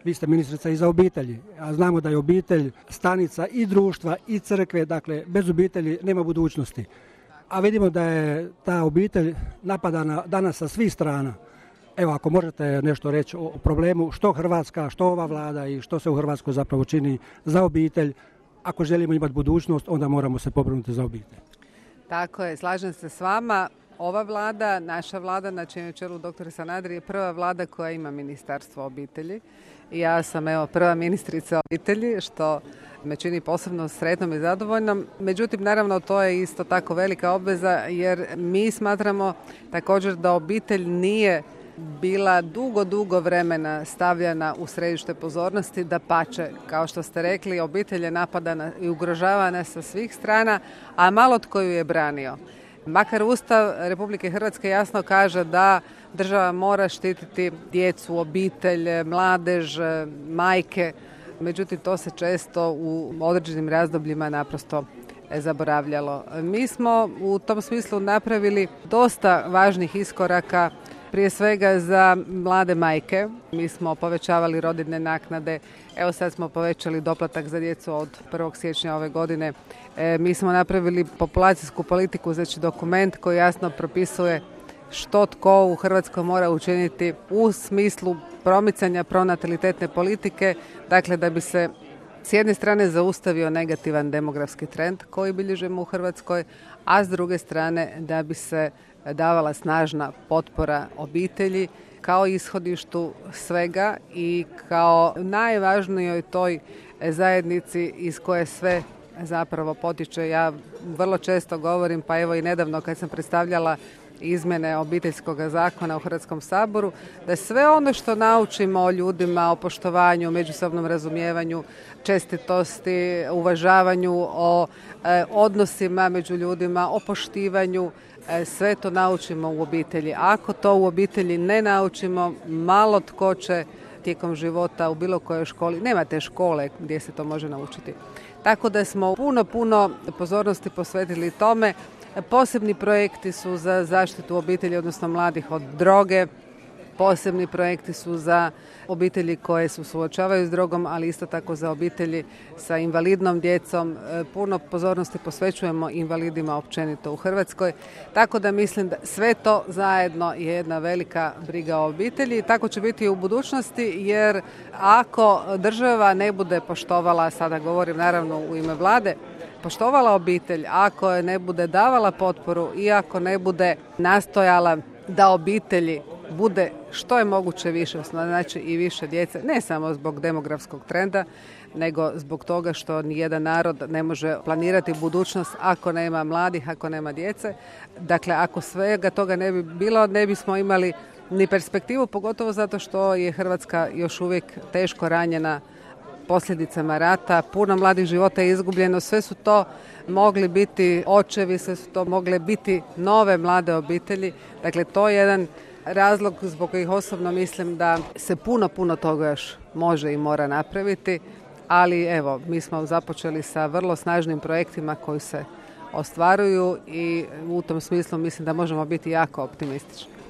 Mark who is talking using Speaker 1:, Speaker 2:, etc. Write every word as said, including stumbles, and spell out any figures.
Speaker 1: Vi ste ministrica i za obitelji, a znamo da je obitelj stanica i društva i crkve, dakle bez obitelji nema budućnosti. A vidimo da je ta obitelj napadana danas sa svih strana. Evo, ako možete nešto reći o problemu što Hrvatska, što ova vlada i što se u Hrvatskoj zapravo čini za obitelj. Ako želimo imati budućnost, onda moramo se pobrinuti za obitelj.
Speaker 2: Tako je, slažem se s vama. Ova vlada, naša vlada na čijem je čelu doktor Sanader je prva vlada koja ima ministarstvo obitelji. I ja sam evo prva ministrica obitelji, što me čini posebno sretnom i zadovoljnom. Međutim, naravno, to je isto tako velika obveza jer mi smatramo također da obitelj nije bila dugo, dugo vremena stavljena u središte pozornosti, dapače, kao što ste rekli, obitelj je napadana i ugrožavana sa svih strana, a malo tko ju je branio. Makar Ustav Republike Hrvatske jasno kaže da država mora štititi djecu, obitelj, mladež, majke, međutim to se često u određenim razdobljima naprosto zaboravljalo. Mi smo u tom smislu napravili dosta važnih iskoraka, prije svega za mlade majke. Mi smo povećavali rodiljne naknade, evo sad smo povećali doplatak za djecu od prvog siječnja ove godine. E, mi smo napravili populacijsku politiku, znači dokument koji jasno propisuje što tko u Hrvatskoj mora učiniti u smislu promicanja pronatalitetne politike, dakle da bi se s jedne strane zaustavio negativan demografski trend koji bilježimo u Hrvatskoj, a s druge strane da bi se davala snažna potpora obitelji kao ishodištu svega i kao najvažnijoj toj zajednici iz koje sve zapravo potiče. Ja vrlo često govorim, pa evo i nedavno kad sam predstavljala izmjene obiteljskog zakona u Hrvatskom saboru, da sve ono što naučimo o ljudima, o poštovanju, međusobnom razumijevanju, čestitosti, uvažavanju, o e, odnosima među ljudima, o poštivanju, e, sve to naučimo u obitelji. Ako to u obitelji ne naučimo, malo tko će tijekom života u bilo kojoj školi, nema te škole gdje se to može naučiti. Tako da smo puno, puno pozornosti posvetili tome. Posebni projekti su za zaštitu obitelji, odnosno mladih od droge. Posebni projekti su za obitelji koje se suočavaju s drogom, ali isto tako za obitelji sa invalidnom djecom. Puno pozornosti posvećujemo invalidima općenito u Hrvatskoj. Tako da mislim da sve to zajedno je jedna velika briga o obitelji. Tako će biti i u budućnosti, jer ako država ne bude poštovala, sada govorim naravno u ime vlade, poštovala obitelj, ako je ne bude davala potporu i ako ne bude nastojala da obitelji bude što je moguće više, znači i više djece, ne samo zbog demografskog trenda, nego zbog toga što nijedan narod ne može planirati budućnost ako nema mladih, ako nema djece. Dakle, ako svega toga ne bi bilo, ne bismo imali ni perspektivu, pogotovo zato što je Hrvatska još uvijek teško ranjena posljedicama rata, puno mladih života je izgubljeno, sve su to mogli biti očevi, sve su to mogle biti nove mlade obitelji. Dakle, to je jedan razlog zbog kojih osobno mislim da se puno, puno toga još može i mora napraviti, ali evo, mi smo započeli sa vrlo snažnim projektima koji se ostvaruju i u tom smislu mislim da možemo biti jako optimistični.